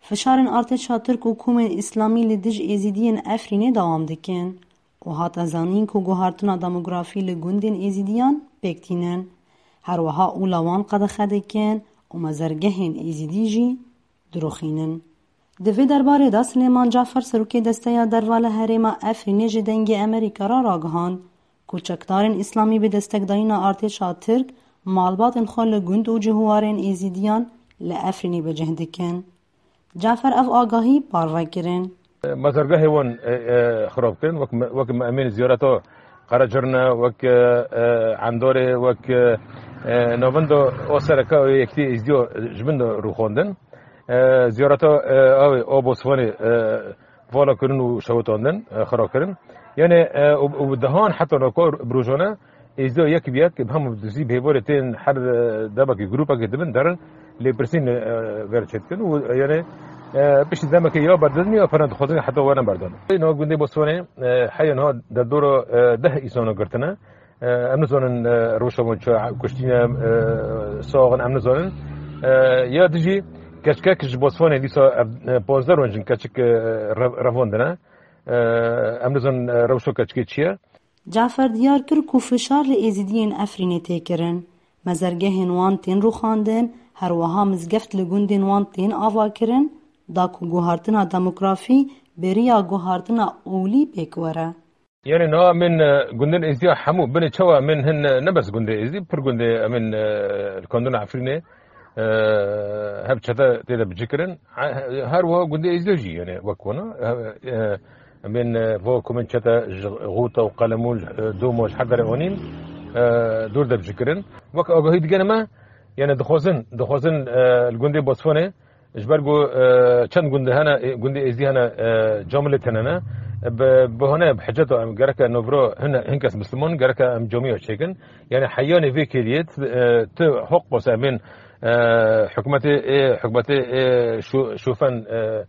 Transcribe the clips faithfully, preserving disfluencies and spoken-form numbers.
Fişarên artêşa Tirk û komên Îslamî li dij Êzîdiyên Efrînê dewam dikin û hate zanîn ku guhartina demografî li gundên Êzîdiyan pêk tînin. Her wiha ola wan qedexe dikin û mezergehên Êzîdî jî dirûxînin. Di vê derbarê de Silêman Cafer, serokê Desteya Derva li herêma Efrînê ji Dengê Amerîka re ragihand ku çekdarên Îslamî bi destekdayîna artêşa Tirk malbatên xwe li gund û cihuwarên Êzîdiyan li Efrînê bi cih dikin. Cafer ev agahî parve kirin. Mezargehê wan, e, e, xirab kirin, wek me, wek me emên ziyareta Qerecirne, wek, e, e, Endorê, wek, e, e, navenda o sereke o yekîtî Êzdiya ji bin de rûxandin. E, ziyareta, e, ew ê, o Bosfanê, e, vala kirin û şewitandin, e, xira kirin. Yani, e, û, û dehan heta naka bi rojane Êzdiya yek bi yek, bi hemû dizî bi hêvarê tên her, e, demekî grûpekê dibin derin, lêpirsîn, e, ver çêdikin û, e, yani, e, piştî demekê ya berdidin ya pere dixwazin heta were berdan. Niha gundê Bosfanê, e, heya niha derdora, e, deh îsana girtine. E, em nizanin, e, rewşa wan çi kuştîne, e, saxin em nizanin. E, ya dijî keçikek ji Bosfanê dîsa ev, e, panzdeh roj in keçik, e, rev-, revandine. E, em nizanin, e, rewşa keçikê çi ye. Cafer diyar kir ku fişar li Êzidiyên Efrînê tê kirin. Mezergehên wan tên rûxandin, her wiha mizgeft li gundên wan tên avakirin, da ku guhartina demografî bi riya guhartina olî pêk were. Yani niha min, e, gundên Êzidiya hemû binê çawa min hin, e, ne bes gundê Êzidî, pir gundê emin, e, li kandina Efrînê, e, hep çete tê de bicikirin. He-, her wiha gundê Êzdiya jî, yani, wek wana, e, e, em bên, e, vo ku min çete ji xûta û qelemû, e, doma ji her derê anîn, e, dûr de bicikirin. Wek agahî digene me, yani, dixwazin, dixwazin, e, li gundê Bosfonê, ji ber ku, e, çend gundê hene, e, gundê Êzidî hene, e, camilê tenene. Bi, bi hane, bi hiceta em gereke novro hin, hin kes Misliman, gereke em camiya çêkin. Yani, heyanê vê kêliyê, e, tu hoq bose em bên, e, hikûmetê, e, hikûmetê, e, şo-, şofen, e,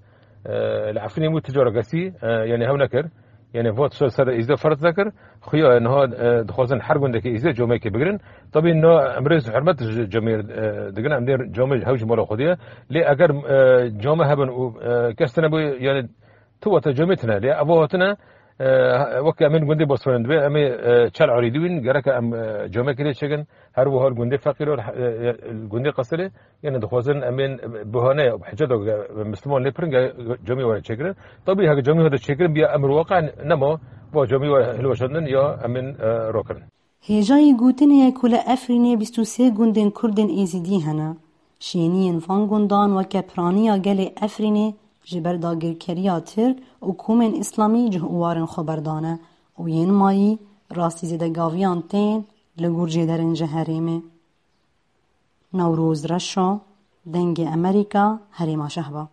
e, li Efrînê bû ticara kesî, e, yani hew nekir. Yani vat şo ser Êzidê ferz nekir. Xuya niha, e, dixwazin her gundekî Êzidê camekê bigirin. Tabî niha em rêz hurmet ji camê, e, digirin. Em dê camê hew ji mala xwe diye. Lê eger, e, came hebin û, e, kes tine bû, yani tu wate camê tine. Lê ev hatine, e, wek em ên gundê Bosfonê dibe, em ê, e, çel arî diwîn, gereke em, e, camekê lê çêkin. Her wiha li gundê Feqîr û, e, e, li gundê Qesilê, yani dixwazin em ên buhane ya hiceta Misliman lê pirin, ge camî were çêkirin. Tabî heke camî hate çêkirin, biya emir waqe nema, va camî were hilweşandin ya em ên, e, rokirin. Hêjayî gotinê ye ku li Efrînê bîst û sê gundên Kurdên Êzîdî hene. Şêniyên van gundan weke piraniya gelê Efrînê ji ber dagirkeriya Tirk û komên Îslamî cih û warên xwe berdane û yên mayî rastî zêdegaviyan tên li gor cêderên ji herêmê. Newroz Reşo, Dengê Amerîka, Herêma Şehba.